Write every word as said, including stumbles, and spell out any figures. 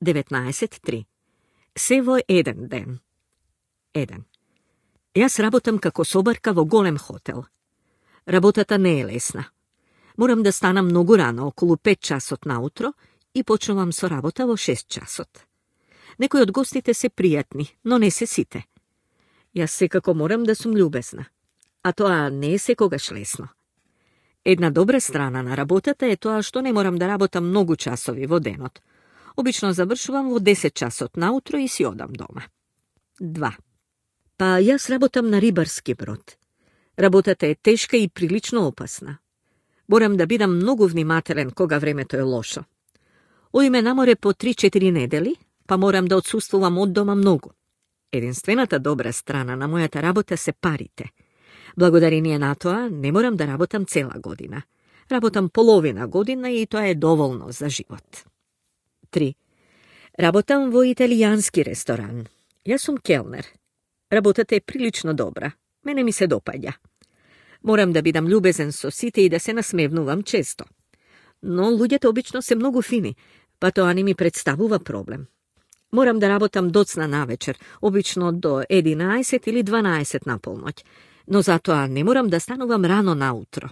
деветнаесет три. Се во еден ден. еден. Јас работам како собарка во голем хотел. Работата не е лесна. Морам да станам многу рано, околу пет часот наутро, и почнувам со работа во шест часот. Некои од гостите се пријатни, но не се сите. Јас секако морам да сум љубезна, а тоа не е секогаш лесно. Една добра страна на работата е тоа што не морам да работам многу часови во денот. Обично завршувам во десет часот наутро и си одам дома. два. Па јас работам на рибарски брод. Работата е тешка и прилично опасна. Морам да бидам многу внимателен кога времето е лошо. Одиме на море по три-четири недели, па морам да отсуствувам од дома многу. Единствената добра страна на мојата работа се парите. Благодарение на тоа не морам да работам цела година. Работам половина година и тоа е доволно за живот. три. Работам во италијански ресторан. Јас сум келнер. Работата е прилично добра. Мене ми се допаѓа. Морам да бидам љубезен со сите и да се насмевнувам често. Но луѓето обично се многу фини, па тоа не ми представува проблем. Морам да работам доцна навечер, обично до единаесет или дванаесет на полноќ, но затоа не морам да станувам рано наутро.